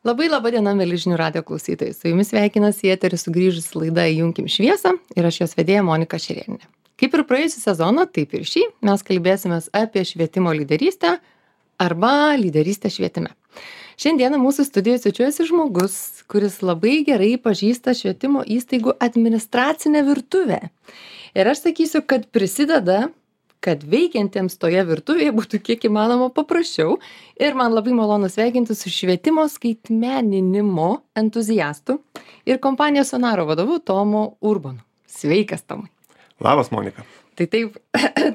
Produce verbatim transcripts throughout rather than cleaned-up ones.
Labai laba diena, mėly žinių radio klausytojai. Su jumis sveikinasi į eterį sugrįžusi laida Įjunkim šviesą ir aš jos vedėja Monika Šerėnienė. Kaip ir praėjusią sezoną, taip ir šį mes kalbėsimės apie švietimo lyderystę arba lyderystę švietime. Šiandieną mūsų studijoje svečiuojasi žmogus, kuris labai gerai pažįsta švietimo įstaigų administracinę virtuvę. Ir aš sakysiu, kad prisideda, kad veikiantiems toje virtuvėje būtų kiek įmanoma paprasčiau. Ir man labai malonu sveikinti su švietimo skaitmeninimo entuziastu ir kompanijos Sonaro vadovu Tomu Urbonu. Sveikas, Tomai. Labas, Monika. Tai taip,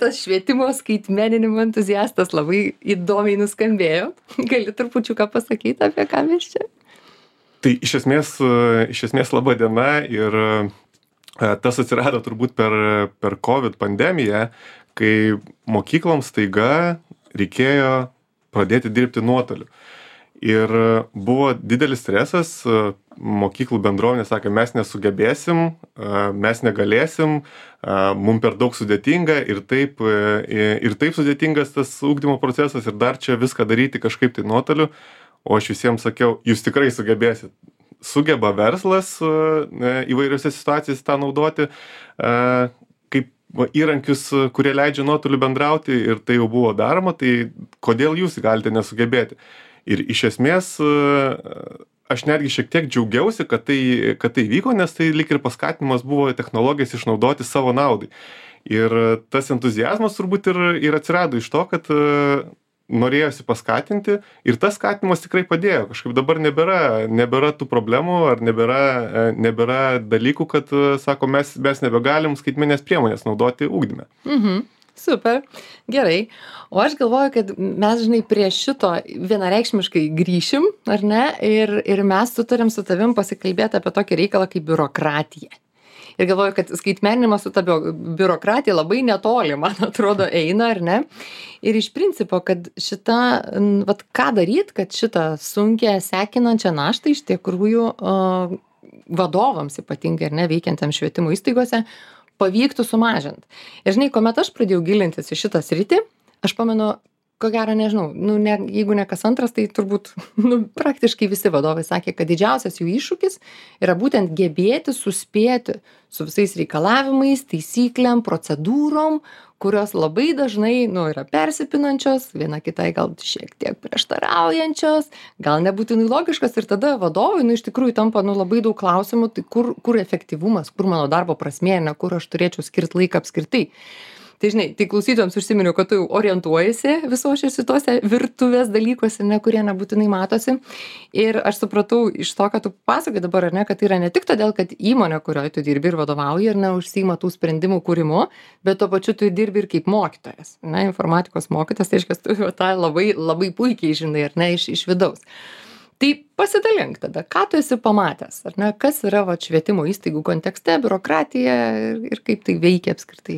tas švietimo skaitmeninimo entuziastas labai įdomiai nuskambėjo. Gali trupučiuką pasakyti, apie ką mes čia? Tai iš esmės, iš esmės laba diena ir tas atsirado turbūt per, per COVID pandemiją, kai mokykloms staiga reikėjo pradėti dirbti nuotoliu. Ir buvo didelis stresas, mokyklų bendruomenė sakė, mes nesugebėsim, mes negalėsim, mum per daug sudėtinga ir taip, ir taip sudėtingas tas ugdymo procesas ir dar čia viską daryti kažkaip tai nuotoliu. O aš visiems sakiau, jūs tikrai sugebėsit. Sugeba verslas įvairiose situacijose tą naudoti kaip įrankius, kurie leidžia nuotoliu bendrauti ir tai jau buvo daroma, tai kodėl jūs galite nesugebėti? Ir iš esmės aš netgi šiek tiek džiaugiausi, kad tai, kad tai vyko, nes tai lyg ir paskatinimas buvo technologijas išnaudoti savo naudai. Ir tas entuziazmas turbūt ir, ir atsirado iš to, kad norėjosi paskatinti ir tas skatinimas tikrai padėjo. Kažkaip dabar nebėra, nebėra tų problemų ar nebėra, nebėra dalykų, kad, sako, mes, mes nebegalim skaitmenės priemonės naudoti ugdyme. Mhm. Super, gerai. O aš galvoju, kad mes, žinai, prie šito vienareikšmiškai grįšim, ar ne? Ir, ir mes sutarėm su tavim pasikalbėti apie tokį reikalą kaip biurokratija. Ir galvoju, kad skaitmeninimas su ta biurokratija labai netoli, man atrodo, eina, ar ne? Ir iš principo, kad šitą, vat, ką daryt, kad šitą sunkią, sekinančią naštą iš tikrųjų uh, vadovams ypatingai, ar ne, veikiantiems švietimo įstaigose, pavyktų sumažinti. Ir žinai, kuomet aš pradėjau gilintis į šitą sritį, aš pamenu, ko gero, nežinau, nu, ne, jeigu ne kas antras, tai turbūt nu, praktiškai visi vadovai sakė, kad didžiausias jų iššūkis yra būtent gebėti suspėti su visais reikalavimais, taisyklėm, procedūrom, kurios labai dažnai nu, yra persipinančios, viena kitai gal šiek tiek prieštaraujančios, gal nebūtinai logiškas ir tada vadovai nu, iš tikrųjų tampa nu, labai daug klausimų, tai kur, kur efektyvumas, kur mano darbo prasmė, ne kur aš turėčiau skirti laiką apskritai. Tai žinai, tai klausytojams užsiminiau, kad tu orientuojasi visos šitose virtuvės dalykuose, ne, kurie nebūtinai matosi. Ir aš supratau iš to, kad tu pasakai dabar, ar ne, kad tai yra ne tik todėl, kad įmonė, kurioje tu dirbi ir vadovauji, ir neužsiima tų sprendimų kūrimu, bet tuo pačiu tu dirbi ir kaip mokytojas. Ne, informatikos mokytojas, tai reiškia, tu tą labai, labai puikiai žinai, ar ne, iš, iš vidaus. Tai pasidalink tada, ką tu esi pamatęs, ar ne, kas yra va, švietimo įstaigų kontekste, biurokratija ir, ir kaip tai veikia apskritai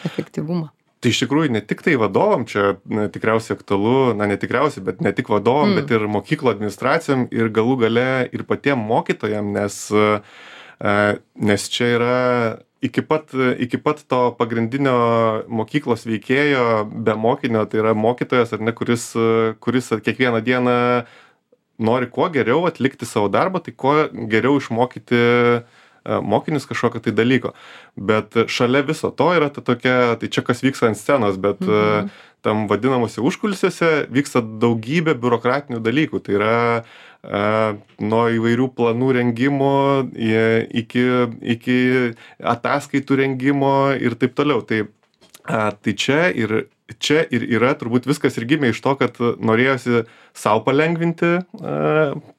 efektyvumą. Tai iš tikrųjų ne tik tai vadovam, čia na, tikriausiai aktualu, na ne tikriausiai, bet ne tik vadovam, mm. bet ir mokyklo administracijom ir galų gale ir patiem mokytojam, nes, nes čia yra iki pat, iki pat to pagrindinio mokyklos veikėjo be mokinio, tai yra mokytojas, ar ne, kuris, kuris kiekvieną dieną nori kuo geriau atlikti savo darbą, tai kuo geriau išmokyti mokinius kažkokio tai dalyko. Bet šalia viso to yra ta tokia, tai čia kas vyksta ant scenos, bet mhm. tam vadinamuose užkulisiuose vyksta daugybė biurokratinių dalykų. Tai yra nuo įvairių planų rengimo iki, iki ataskaitų rengimo ir taip toliau. Tai, tai čia ir Čia ir yra, turbūt viskas ir gimė iš to, kad norėjosi savo palengvinti,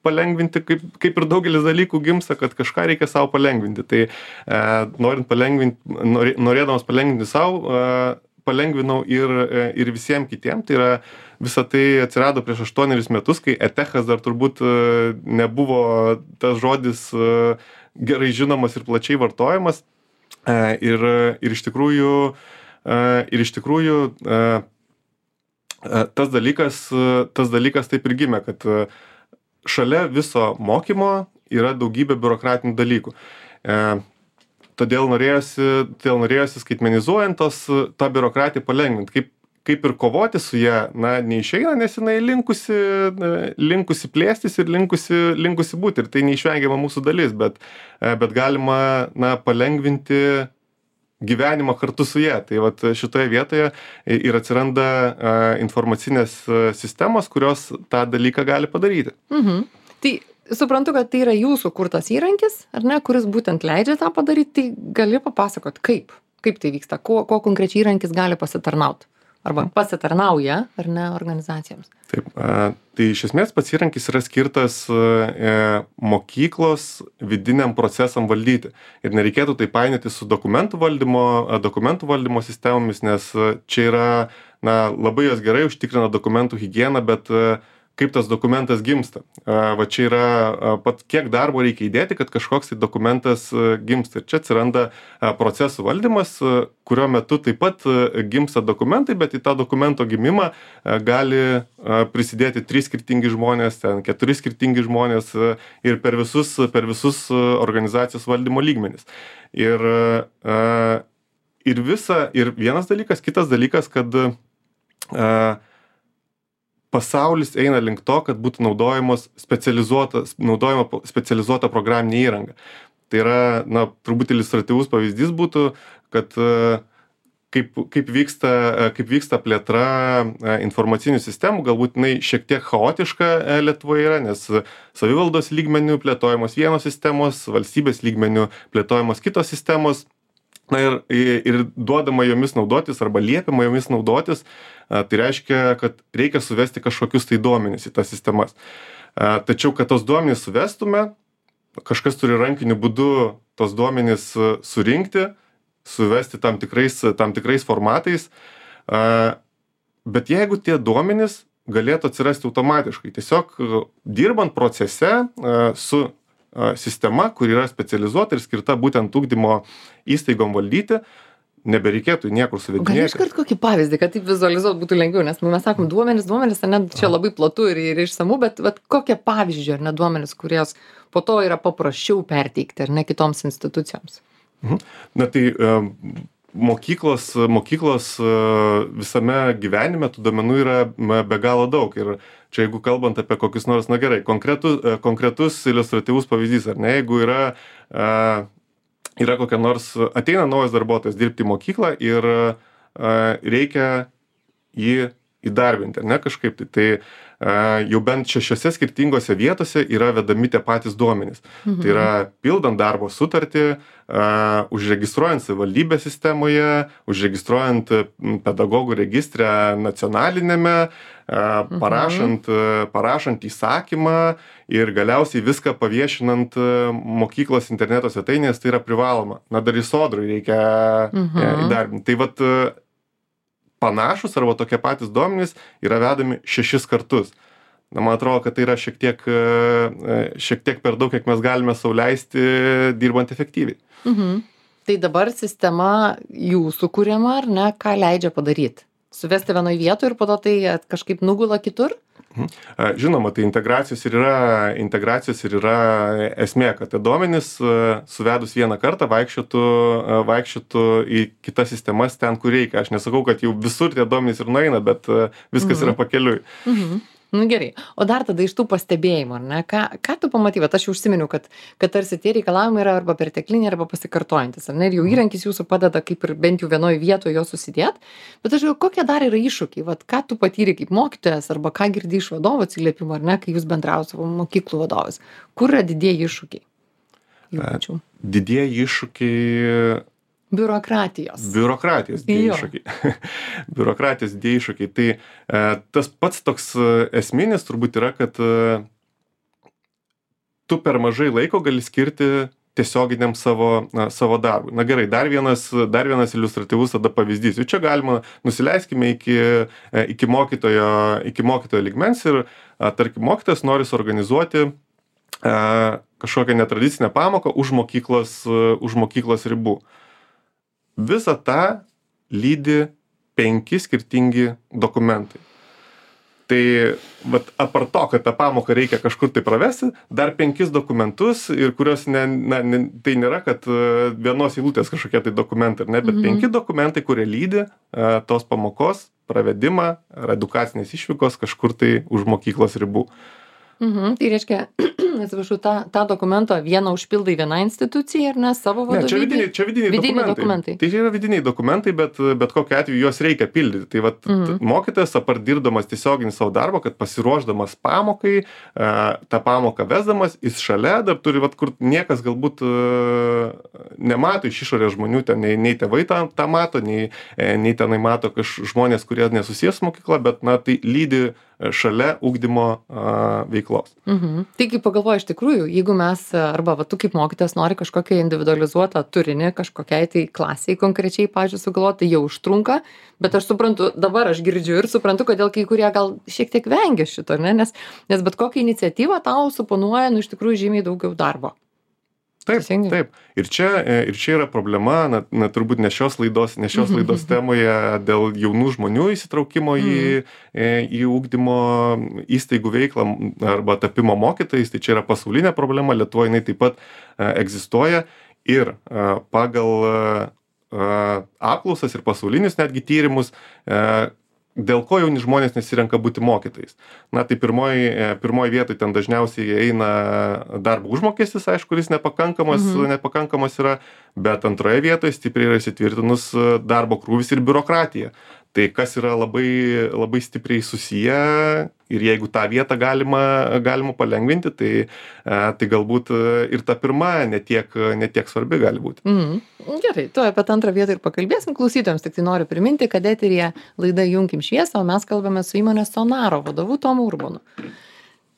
palengvinti kaip, kaip ir daugelis dalykų gimsta, kad kažką reikia savo palengvinti. Tai norint palengvinti, norėdamas palengvinti savo, palengvinau ir, ir visiems kitiems. Tai yra, visa tai atsirado prieš aštuonerius metus, kai etechas dar turbūt nebuvo tas žodis gerai žinomas ir plačiai vartojamas. Ir, ir iš tikrųjų Uh, ir iš tikrųjų uh, uh, tas dalykas, uh, tas dalykas taip ir gimė, kad uh, šalia viso mokymo yra daugybė biurokratinių dalykų. Uh, todėl norėjosi, todėl norėjosi skaitmenizuojant tos, tą biurokratiją palengvinti. Kaip, kaip ir kovoti su ja, na, neišeina, nes jinai linkusi, linkusi plėstis ir linkusi, linkusi būti. Ir tai neišvengiama mūsų dalis, bet, bet galima, na, palengvinti gyvenimą kartu su ja. Tai vat šitoje vietoje ir atsiranda informacinės sistemos, kurios tą dalyką gali padaryti. Mhm. Tai suprantu, kad tai yra jūsų kurtas įrankis, ar ne, kuris būtent leidžia tą padaryti, tai gali papasakot, kaip, kaip tai vyksta, ko, ko konkrečiai įrankis gali pasitarnauti. Arba pasitarnauja, ar ne, organizacijoms. Taip, tai iš esmės pats įrankis yra skirtas mokyklos vidiniam procesam valdyti. Ir nereikėtų tai painioti su dokumentų valdymo, dokumentų valdymo sistemomis, nes čia yra, na, labai jos gerai užtikrina dokumentų higieną, bet kaip tas dokumentas gimsta. Va čia yra pat kiek darbo reikia įdėti, kad kažkoks tai dokumentas gimsta. Ir čia atsiranda procesų valdymas, kurio metu taip pat gimsta dokumentai, bet į tą dokumento gimimą gali prisidėti trys skirtingi žmonės, ten keturi skirtingi žmonės ir per visus, per visus organizacijos valdymo lygmenis. Ir, ir visa, ir vienas dalykas, kitas dalykas, kad pasaulis eina link to, kad būtų naudojamos specializuotas, naudojama specializuota programinė įranga. Tai yra, na, turbūt iliustratyvus pavyzdys būtų, kad kaip, kaip, vyksta, kaip vyksta plėtra informacinių sistemų, galbūt jinai šiek tiek chaotiška Lietuvoje yra, nes savivaldos lygmenių plėtojamos vienos sistemos, valstybės lygmenių plėtojamos kitos sistemos. Na ir, ir duodama jomis naudotis arba liepiama jomis naudotis, tai reiškia, kad reikia suvesti kažkokius tai duomenis į tas sistemas. Tačiau, kad tos duomenys suvestume, kažkas turi rankiniu būdu tos duomenys surinkti, suvesti tam tikrais, tam tikrais formatais. Bet jeigu tie duomenys galėtų atsirasti automatiškai, tiesiog dirbant procese su sistema, kur yra specializuota ir skirta būtent ugdymo įstaigom valdyti, nebereikėtų niekur suvedinėti. Gal iškart kokį pavyzdį, kad taip vizualizuot būtų lengviau, nes mes sakom duomenis, duomenis, ne, čia labai platu ir, ir išsamu, bet, bet kokie pavyzdžiai, ar ne duomenis, kurios po to yra paprasčiau perteikti, ar ne kitoms institucijoms? Mhm. Na tai mokyklos, mokyklos visame gyvenime tų duomenų yra be galo daug. Ir čia jeigu kalbant apie kokius nors, na gerai, konkretus, konkretus iliustratyvus pavyzdys, ar ne, jeigu yra, yra kokia nors, ateina naujas darbuotojas dirbti į mokyklą ir reikia jį įdarbinti, ar ne, kažkaip tai, tai jau bent šešiose skirtingose vietose yra vedami tie patys duomenys. Mhm. Tai yra pildant darbo sutartį, uh, užregistruojant savivaldybės sistemoje, užregistruojant pedagogų registrę nacionalinėme, uh, parašant, uh, parašant įsakymą ir galiausiai viską paviešinant uh, mokyklos interneto svetainės, tai yra privaloma. Na, dar į sodrui reikia mhm. uh, įdarbinti. Tai vat uh, panašus arba tokie patys duomenys yra vedami šešis kartus. Na, man atrodo, kad tai yra šiek tiek, šiek tiek per daug, kiek mes galime sau leisti dirbant efektyviai. Mhm. Tai dabar sistema jūsų kuriama, ar ne, ką leidžia padaryti? Suvesti vienoje vietoje ir po to tai kažkaip nugula kitur? Žinoma, tai integracijos ir yra, integracijos ir yra esmė, kad tie duomenys suvedus vieną kartą vaikščiotų, vaikščiotų į kitas sistemas ten, kur reikia. Aš nesakau, kad jau visur tie duomenys ir nueina, bet viskas mhm. yra pakeliui. Mhm. Nu, gerai. O dar tada iš tų pastebėjimų, ar ne? Ką, ką tu pamatai? Vat aš jau užsiminiau, kad, kad tarsi tie reikalavimai yra arba pertekliniai, arba pasikartojantis, ar ne? Ir jau įrankis jūsų padeda kaip ir bent jau vienoje vietoje jo susidėt. Bet aš jau, kokie dar yra iššūkiai? Vat ką tu patyrei kaip mokytojas, arba ką girdi iš vadovo atsiliepimų, ar ne, kai jūs bendraujate su mokyklų vadovais? Kur yra didieji iššūkiai? Jaučiu. Didieji iššūkiai... Biurokratijos. Biurokratijos didieji iššūkiai. Biurokratijos didieji iššūkiai. Tai e, tas pats toks esminis turbūt yra, kad e, tu per mažai laiko gali skirti tiesioginiam savo, na, savo darbui. Na gerai, dar vienas, dar vienas iliustratyvus tada pavyzdys. Jau čia galima, nusileiskime iki, e, iki, mokytojo, iki mokytojo lygmens ir, a, tarkim, mokytojas nori suorganizuoti e, kažkokią netradicinę pamoką už mokyklos, už mokyklos ribų. Visą tą lydi penki skirtingi dokumentai. Tai vat, apart to, kad tą pamoką reikia kažkur tai pravesti, dar penkis dokumentus, ir kurios ne, na, ne, tai nėra, kad vienos eilutės kažkokie tai dokumentai, ne, bet mhm. penki dokumentai, kurie lydi uh, tos pamokos pravedimą ar edukacinės išvykos kažkur tai už mokyklos ribų. Mhm. Tai reiškia, atsiprašau, tą, tą dokumentą vieną užpildai viena institucija ir ne savo vadovybė? Ne, čia vidiniai, čia vidiniai, vidiniai dokumentai. dokumentai. Tai yra vidiniai dokumentai, bet, bet kokiu atveju juos reikia pildyti. Tai vat, mhm. mokytojas, apart dirbdamas tiesioginį savo darbą, kad pasiruošdamas pamokai, tą pamoką vesdamas, jis šalia dar turi, vat, kur niekas galbūt nemato iš išorės žmonių, ten nei, nei tėvai tą, tą mato, nei, nei tenai mato kažkokie žmonės, kurie nesusijęs mokykla, bet na, tai lydi šalia ugdymo a, veiklos. Mhm. Tai kaip pagalvoju, iš tikrųjų, jeigu mes, arba va, tu kaip mokytas nori kažkokią individualizuotą turinį, kažkokiai tai klasiai konkrečiai, pažiūrėjau, sugalvoti, tai jau užtrunka, bet aš suprantu, dabar aš girdžiu ir suprantu, kodėl kai kurie gal šiek tiek vengia šito, ne? Nes, nes bet kokią iniciatyvą tau suponuoja, nu, iš tikrųjų žymiai daugiau darbo. Taip, taip. Ir čia, ir čia yra problema, na, na turbūt ne šios laidos, ne šios laidos temoje dėl jaunų žmonių įsitraukimo į, į ugdymo įstaigų veiklą arba tapimo mokytojais, tai čia yra pasaulinė problema, Lietuvoje jinai taip pat egzistuoja ir pagal apklausas ir pasaulinius netgi tyrimus, dėl ko jauni žmonės nesirenka būti mokytojais. Na, tai pirmoji, pirmoji vietoj ten dažniausiai eina darbo užmokestis, aišku, kuris nepakankamas, mhm. nepakankamas yra, bet antroje vietoje stipriai yra įsitvirtinus darbo krūvis ir biurokratija. Tai kas yra labai, labai stipriai susiję ir jeigu tą vietą galima, galima palengvinti, tai, tai galbūt ir ta pirma netiek, netiek svarbi gali būti. Mhm. Gerai, tu apie tą antrą vietą ir pakalbėsim klausytojams, tik tai noriu priminti, kad eteryje laida Junkim šviesą, o mes kalbame su įmonės Sonaro vadovu Tomu Urbonu.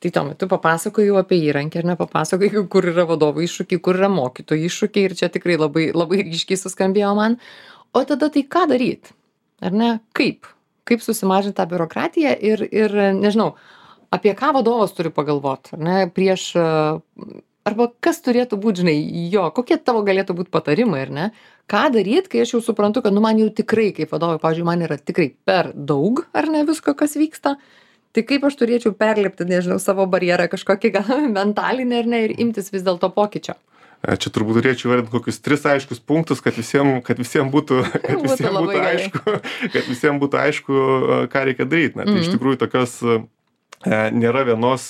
Tai Tomai, tu papasakojai apie įrankį, ar ne papasakojai, kur yra vadovų iššūkiai, kur yra mokytojų iššūkiai ir čia tikrai labai, labai ryškiai suskambėjo man. O tada tai ką daryti? Ar ne? Kaip? Kaip susimažinti tą biurokratiją ir, ir nežinau, apie ką vadovas turi pagalvoti, ar ne? Prieš, arba kas turėtų būti, žinai, jo, kokie tavo galėtų būti patarimai, ar ne? Ką daryti, kai aš jau suprantu, kad, nu, man jau tikrai, kaip vadovai, pavyzdžiui, man yra tikrai per daug, ar ne, visko, kas vyksta. Tai kaip aš turėčiau perlipti, nežinau, savo barjerą kažkokį gal mentalinį, ar ne, ir imtis vis dėlto pokyčio. Čia turbūt turėčiau įvardinti kokius tris aiškius punktus, kad visiems, kad visiems būtų, kad visiems būtų aišku, kad visiems būtų aišku, ką reikia daryti. Na, tai mm-hmm. iš tikrųjų tokios nėra vienos,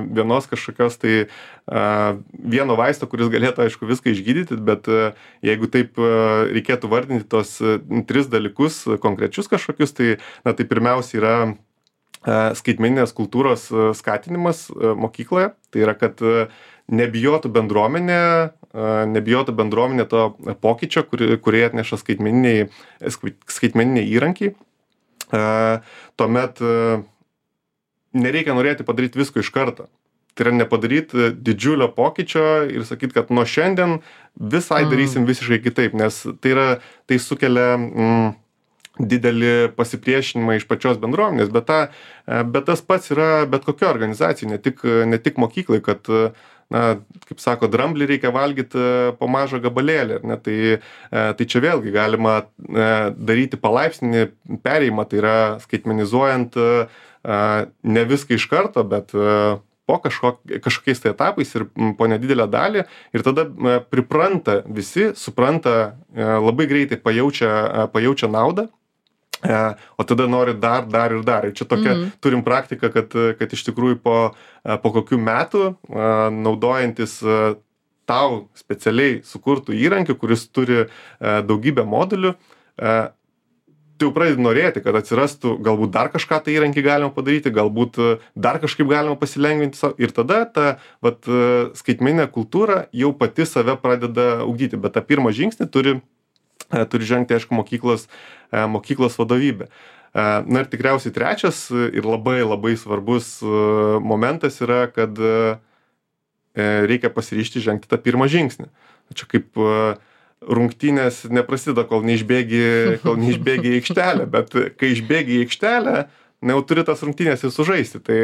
vienos kažkokios tai vieno vaisto, kuris galėtų, aišku, viską išgydyti, bet jeigu taip reikėtų vardinti tos tris dalykus konkrečius kažkokius, tai, na, tai pirmiausia yra skaitmeninės kultūros skatinimas mokykloje. Tai yra, kad nebijotų bendruomenė, nebijotų bendruomenė to pokyčio, kurį, kurį atneša skaitmeniniai, skaitmeniniai įrankiai. Tuomet nereikia norėti padaryti visko iš karto. Tai yra nepadaryti didžiulio pokyčio ir sakyti, kad nuo šiandien visai darysim visiškai kitaip, nes tai, yra, tai sukelia mm, didelį pasipriešinimą iš pačios bendruomenės, bet, ta, bet tas pats yra bet kokia organizacija, ne tik, ne tik mokyklai, kad, na, kaip sako, dramblį reikia valgyti po mažą gabalėlį, ne, tai, tai čia vėlgi galima daryti palaipsninį perėjimą, tai yra skaitmenizuojant ne viską iš karto, bet po kažkok, kažkokiais tai etapais ir po nedidelę dalį ir tada pripranta visi, supranta, labai greitai pajaučia, pajaučia naudą. O tada nori dar, dar ir dar. Ir čia tokia mm. turim praktiką, kad, kad iš tikrųjų po, po kokių metų naudojantis tau specialiai sukurtų įrankių, kuris turi daugybę modulių, tu jau pradedi norėti, kad atsirastų galbūt dar kažką tai įrankį galima padaryti, galbūt dar kažkaip galima pasilengvinti savo. Ir tada ta vat, skaitmeninė kultūra jau pati save pradeda ugdyti, bet tą pirmą žingsnį turi turi žengti, aišku, mokyklos, mokyklos vadovybė. Na ir tikriausiai trečias ir labai labai svarbus momentas yra, kad reikia pasiryžti žengti tą pirmą žingsnį. Čia kaip rungtynės neprasideda, kol neišbėgi, kol neišbėgi į aikštelę, bet kai išbėgi į aikštelę, na jau turi tas rungtynės ir sužaisti. Tai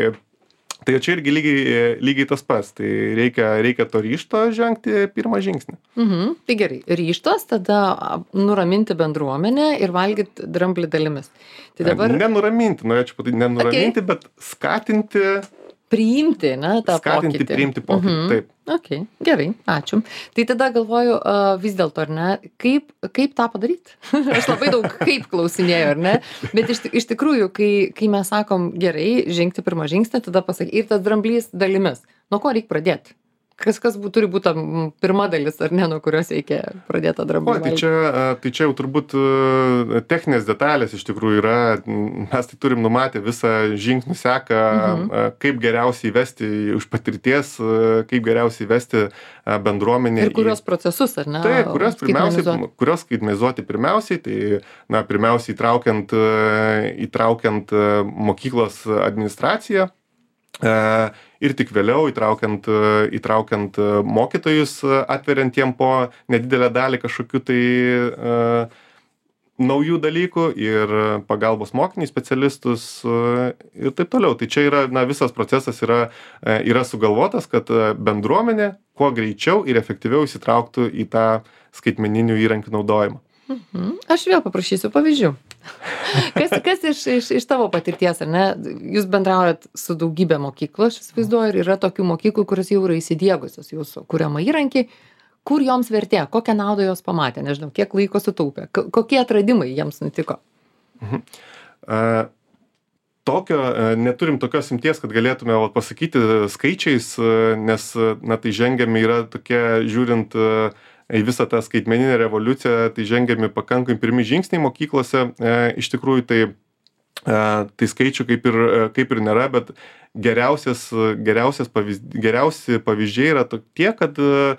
Tai čia irgi lygiai, lygiai tas pats. Tai reikia, reikia to ryžto žengti pirmą žingsnį. Mhm. Tai gerai, ryžtas, tada nuraminti bendruomenę ir valgyti dramblį dalimis. Tai dabar... Nenuraminti, norėčiau patyti, nenuraminti, okay. bet skatinti priimti, ne, tą Skatinti, pokytį. priimti pokytį, Mhm. taip. Ok, gerai, ačiū. Tai tada galvoju, uh, vis dėlto, ar ne, kaip, kaip tą padaryti? Aš labai daug kaip klausinėjau, ar ne? Bet iš, iš tikrųjų, kai, kai mes sakom gerai, žengti pirmą žingsnį, tada pasakyti, ir tas dramblys dalimis. Nuo ko reikia pradėti? Kas, kas būt, turi būti pirma dalis, ar ne, nuo kurios reikia pradėti tą dramblį? O, tai čia, tai čia jau turbūt techninės detalės iš tikrųjų yra, mes tai turim numatę visą žingsnių seką, mhm. kaip geriausiai įvesti iš patirties, kaip geriausiai įvesti bendruomenę. Ir kurios į... procesus, ar ne? Taip, kurios pirmiausiai, kurios skaitmenizuoti pirmiausiai, tai, na, pirmiausiai įtraukiant, įtraukiant mokyklos administraciją. Ir tik vėliau įtraukiant, įtraukiant mokytojus, atveriant jiem po nedidelę dalį kažkokių tai uh, naujų dalykų ir pagalbos mokiniai specialistus uh, ir taip toliau. Tai čia yra, na, visas procesas yra, uh, yra sugalvotas, kad bendruomenė kuo greičiau ir efektyviau įsitrauktų į tą skaitmeninių įrankių naudojimą. Mhm. Aš vėl paprašysiu pavyzdžių. Kas, kas iš, iš, iš tavo patirties, ar ne? Jūs bendraujat su daugybė mokyklų, aš įsivaizduoju, ir yra tokių mokyklų, kurios jau yra įsidiegusios jūsų kuriamą įrankį, kur joms vertė, kokią naudą jos pamatė, nežinau, kiek laiko sutaupė, kokie atradimai jiems nutiko. Mhm. Uh, tokio, uh, neturim tokios imties, kad galėtume va, pasakyti skaičiais, uh, nes, na, tai žengiami yra tokie, žiūrint uh, į visą tą skaitmeninę revoliuciją, tai žengiami pakankamai pirmi žingsniai mokyklose. E, iš tikrųjų, tai, e, tai skaičių kaip ir, kaip ir nėra, bet geriausias, geriausias pavyz, geriausi pavyzdžiai yra tokie, kad e,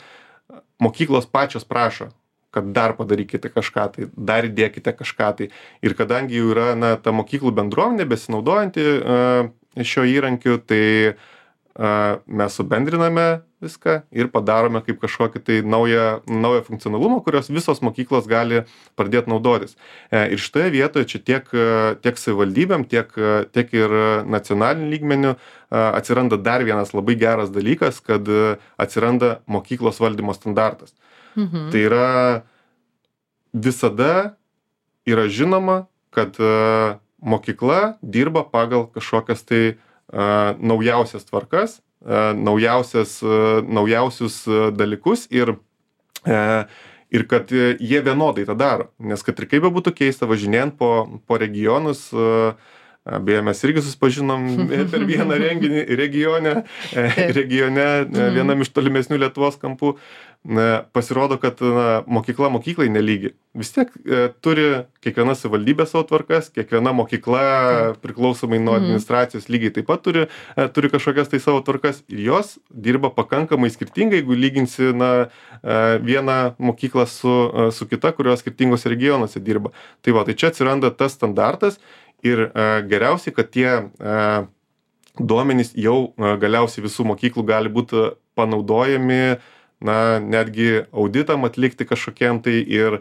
mokyklos pačios prašo, kad dar padarykite kažką, tai dar įdėkite kažką. Tai. Ir kadangi jau yra, na, ta mokyklų bendruomenė besinaudojanti e, šio įrankiu, tai e, mes subendriname viską ir padarome kaip kažkokį tai naują, naują funkcionalumą, kurios visos mokyklos gali pradėti naudotis. Ir šitoje vietoje čia tiek, tiek savivaldybėm, tiek, tiek ir nacionaliniu lygmeniu atsiranda dar vienas labai geras dalykas, kad atsiranda mokyklos valdymo standartas. Mhm. Tai yra visada yra žinoma, kad mokykla dirba pagal kažkokias tai naujausias tvarkas, naujausias, naujausius dalykus ir, ir kad jie vienodai tą daro. Nes kad ir kaip būtų keista, važinėjant po, po regionus, beje, mes irgi susipažinom per vieną renginį regione, regione vienam iš tolimesnių Lietuvos kampų, pasirodo, kad na, mokykla mokyklai nelygi. Vis tiek e, turi kiekviena savivaldybė savo tvarkas, kiekviena mokykla priklausomai nuo administracijos lygiai taip pat turi, e, turi kažkokias tai savo tvarkas ir jos dirba pakankamai skirtingai, jeigu lyginsi na, e, vieną mokyklą su, e, su kita, kurios skirtingose regionuose dirba. Tai va, tai čia atsiranda tas standartas ir e, geriausiai, kad tie e, duomenys jau e, galiausiai visų mokyklų gali būti panaudojami na, netgi auditam atlikti kažkokiem tai ir e,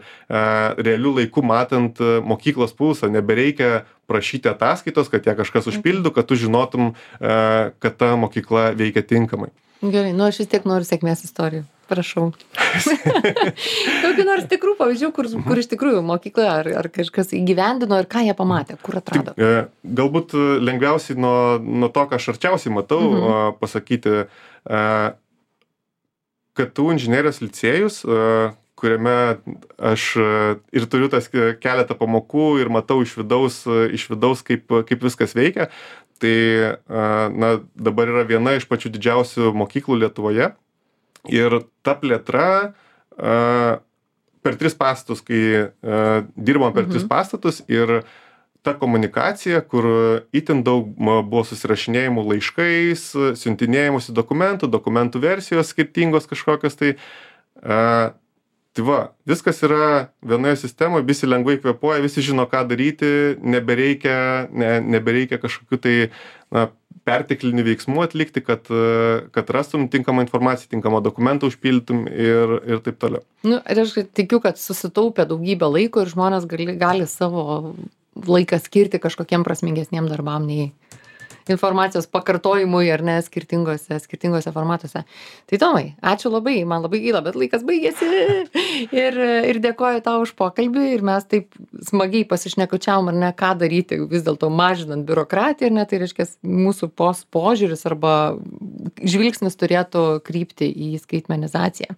realių laikų matant mokyklos pulsą, nebereikia prašyti ataskaitos, kad ją kažkas užpildytų, kad tu žinotum, e, kad ta mokykla veikia tinkamai. Gerai, nu aš vis tiek noriu sėkmės istorijų. Prašau. Kokių nors tikrų pavyzdžių, kur, kur iš tikrųjų mokykla ar, ar kažkas įgyvendino ir ką jie pamatė, kur atrado? Tik, e, galbūt lengviausiai nuo, nuo to, ką aš arčiausiai matau, mhm. pasakyti, e, kad tu inžinerijos licėjus, kuriame aš ir turiu tas keletą pamokų ir matau iš vidaus, iš vidaus kaip, kaip viskas veikia, tai na, dabar yra viena iš pačių didžiausių mokyklų Lietuvoje. Ir ta plėtra per tris pastatus, kai dirbom per mhm. tris pastatus ir ta komunikacija, kur itin daug buvo susirašinėjimų laiškais, siuntinėjimusi dokumentų, dokumentų versijos skirtingos kažkokios, tai, a, tai va, viskas yra vienoje sistemoje, visi lengvai kvėpuoja, visi žino, ką daryti, nebereikia, ne, nebereikia kažkokių tai na, perteklinių veiksmų atlikti, kad, kad rastum tinkamą informaciją, tinkamą dokumentą užpildytum ir, ir taip toliau. Nu, ir aš tikiu, kad susitaupė daugybę laiko ir žmonės gali, gali savo laiką skirti kažkokiem prasmingesniem darbam nei, informacijos pakartojimui ar ne skirtingose, skirtingose formatuose. Tai Tomai, ačiū labai, man labai gaila, bet laikas baigėsi ir, ir dėkoju tau už pokalbį ir mes taip smagiai pasišnekučiavom ar ne, ką daryti vis dėlto mažinant biurokratiją ir ne, tai reiškia mūsų pos požiūris arba žvilgsnis turėtų krypti į skaitmenizaciją.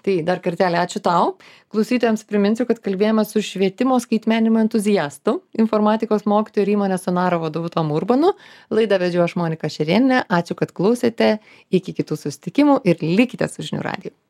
Tai dar kartelį ačiū tau. Klausytojams priminsiu, kad kalbėjome su švietimo skaitmenimo entuziastu, informatikos mokytoju ir įmonės Sonaro vadovu Tomu Urbanu. Laidą vedžiau aš Monika Šerėnienė. Ačiū, kad klausėte. Iki kitų susitikimų ir likite su žinių radiju.